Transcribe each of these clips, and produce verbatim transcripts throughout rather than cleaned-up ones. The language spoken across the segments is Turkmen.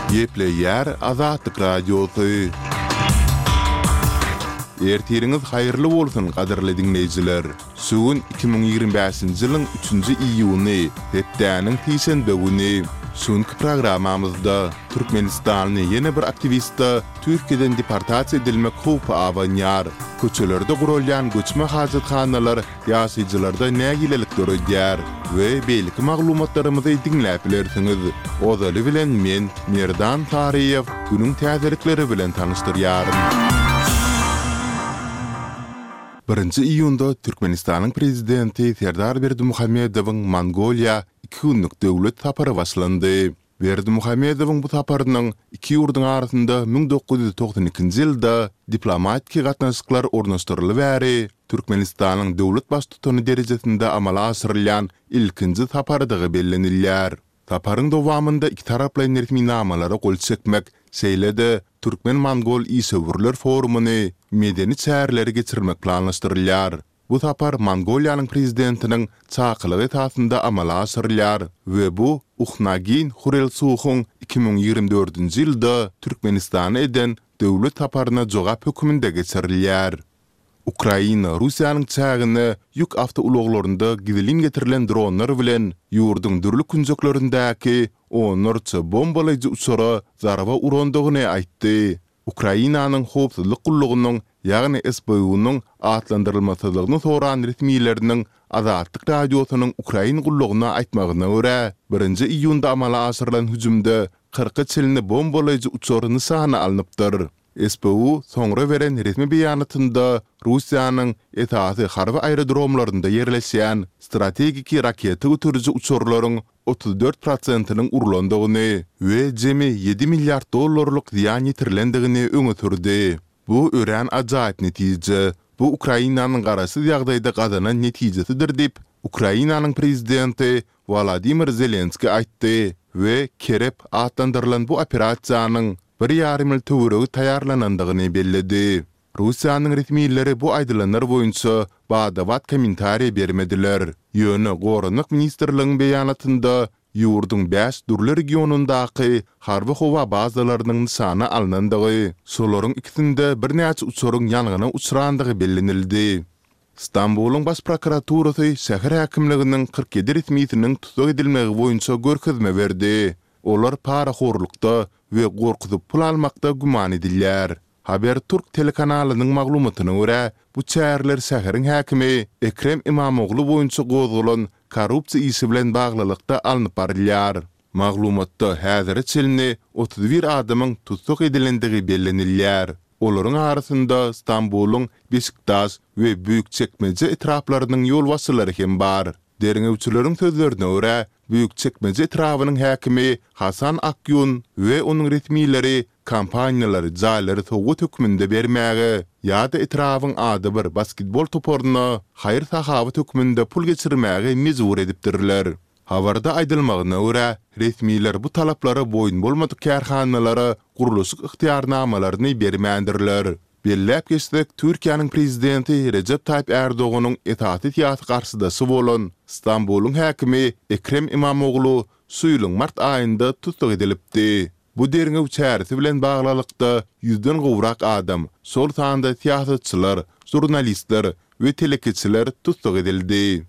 Gepleýär Azatlyk Radiosy. Ertiriňiz haýyrly bolsun, gadyrly diňleýjiler! Şu gün iki müň ýigrimi bäşinji ýylyň üçünji iýuny, hepdäniň sişenbe güni. Şu günki programmamyzda türkmenistanly ýene bir aktiwiste Türkiýeden deportasiýa edilmek howpy abanýar. Köçelerde guralýan göçme hajathanalar ýaşaýjylarda nägilelik döredýär we beýleki maglumatlarymyzy diňläp bilersiňiz. Ozaly bilen men, Merdan Saryýew, günüň täzelikleri bilen tanyşdyrýaryn. Birinji iýunda Türkmenistanyň Prezidenti Serdar Berdimuhamedowyň Mongoliýa iki günlük döwlet sapary başlandy. Berdimuhamedowyň bu saparynyň iki ýurduň arasynda müň dokuz ýüz togsan ikinji ýylda diplomatiki gatnaşyklar ornaşdyryly bäri Türkmenistanyň döwlet Baştutany derejesinde amala aşyrylýan ilkinji saparydygy bellenilýär. Saparyň dowamynda ikitaraplaýyn resminamalara gol çekmek, şeýle-de türkmen-mongol işewürler forumyny, medeni çäreleri geçirmek planlaşdyrylýar. Bu sapar Mongoliýanyň Prezidentiniň çakylygy esasynda amala aşyrylýar we bu Uhnaagiýn Hurelsuhyň iki müň ýigrimi dördünji ýylda Türkmenistana eden döwlet saparyna jogap hökmünde geçirilýär. Ukraina Russiýanyň çägine ýük awtoulaglarynda gizlin getirilen dronlar bilen ýurduň dürli künjeklerindäki onlarça bombalaýjy uçara zarba urandygyny aýtdy. Ukrainanyň Howpsuzlyk gullugynyň, ýagny S B U-nyň atlandyrylmasyzlygyny soran resmileriniň Azatlyk Radiosynyň Ukrain gullugyna aýtmagyna görä, birinji iýunda amala aşyrylan hüjümde kyrka çenli bombalaýjy uçar nyşana alnypdyr. S B U soňra beren resmi beýanatynda Russiýanyň esasy harby aerodromlarynda ýerleşýän strategiki raketa göteriji uçarlaryň otuz dört prosentiniň urlandygyny we jemi ýedi milliard dollarlyk zyýan ýetirilendigini öňe sürdi. Bu örän ajaýyp netije. Bu Ukrainanyň garaşsyz ýagdaýda gazanan netijesidir diýip, Ukrainanyň prezidenti Wolodymyr Zelenskiý aýtdy we Kerep atlandyrylan bu operasiýanyň bir ýarym ýyl töweregi taýýarlanandygyny belledi. Russiýanyň resmileri bu aýdylanlar boýunça bada-bat kommentariý bermediler. Ýöne Goranmak ministrligiň beýanatynda ýurduň bäş dürli regionyndaky harby-howa bazalarynyň nyşana alnandygy, şolaryň ikisinde birnäçe uçaryň ýangyna uçrandygy bellenildi. Stambulyň Baş prokuraturasy şäher häkimliginiň kyrk ýedi resmisiniň tussag edilmegi boýunça görkezme berdi. Olar parahorlukda we gorkuzyp pul almakda güman edilýär. Haberturk telekanalynyň maglumatyna görä, bu çäreler şäheriň häkimi Ekrem Imamoglu boýunça gozgalan korrupsiýa işi bilen baglylykda alnyp barylýar. Maglumatda häzire çenli otuz bir adamyň tussag edilendigi bellenilýär. Olaryň arasynda Stambulyň Beşiktaş we Büýükçekmeje etraplarynyň ýolbaşçylary hem bar. Derňewçileriň sözlerine görä, Büýükçekmeje etrabynyň häkimi Hasan Akýun we onuň resmileri kompaniýalary jaýlary sowgat hökmünde bermäge ýa-da etrabyň adybir basketbol toparyna haýyr-sahawat hökmünde pul geçirmäge mejbur edipdirler. Habarda aýdylmagyna görä, resmiler bu talaplara boýun bolmadyk kärhanalara gurluşyk ygtyýarnamalaryny bermändirler. Belläp geçsek, Türkiýäniň Prezidenti Rejep Taýyp Ärdoganyň esasy syýasy garşydaşy bolan Stambulyň häkimi Ekrem Imamoglu şu ýylyň mart aýynda tussag edilipdi. Bu derňew çäresi bilen baglylykda ýüzden gowrak adam, şol sanda syýasatçylar, žurnalistler we telekeçiler tussag edildi.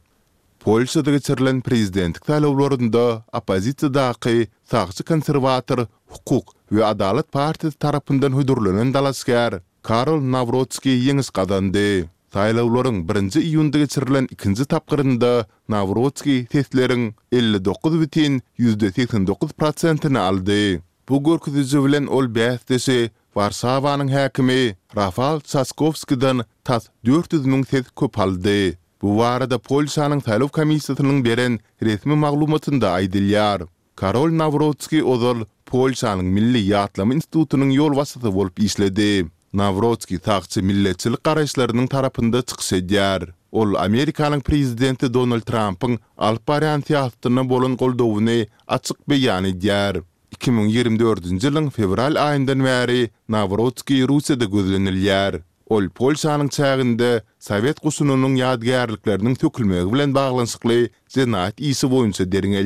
Polşada geçirilen prezidentlik saýlawlarynda oppozisiýadaky sagçy konserwator Hukuk we adalat partiýasy tarapyndan hödürlenen dalaşgär Karol Nawrotskiý ýeňiş gazandy. Saýlawlaryň birinji iýunda geçirilen ikinji tapgyrynda Nawrotskiý sesleriň elli dokuz bütin ýüzde segsen dokuz prosentini aldy. Bu görkeziji bilen ol bäsdeşi Warşawanyň häkimi Rafal Çaskowskiden tas dört ýüz müň ses köp aldy. Bu barada Polşanyň saýlaw komissiýasynyň beren resmi maglumatynda aýdylýar. Karol Nawrotskiý ozal Polşanyň Milli ýatlama institutynyň ýolbaşçysy bolup işledi. Nawrotskiý sagçy milletçilik garaýyşlarynyň tarapynda çykyş edýär. Ol Amerikanyň prezidenti Donald Trampyň alyp barýan syýasatyna bolan goldawyny açyk beýan edýär. Iki müň ýigrimi dördünji ýylyň fewral aýyndan bäri Nawrotskiý Russiýada gözlenilýär. Ol Polşanyň çäginde sowet goşunynyň ýadygärlikleriniň sökülmegi bilen baglanyşykly jenaýat işi boýunça derňelýär.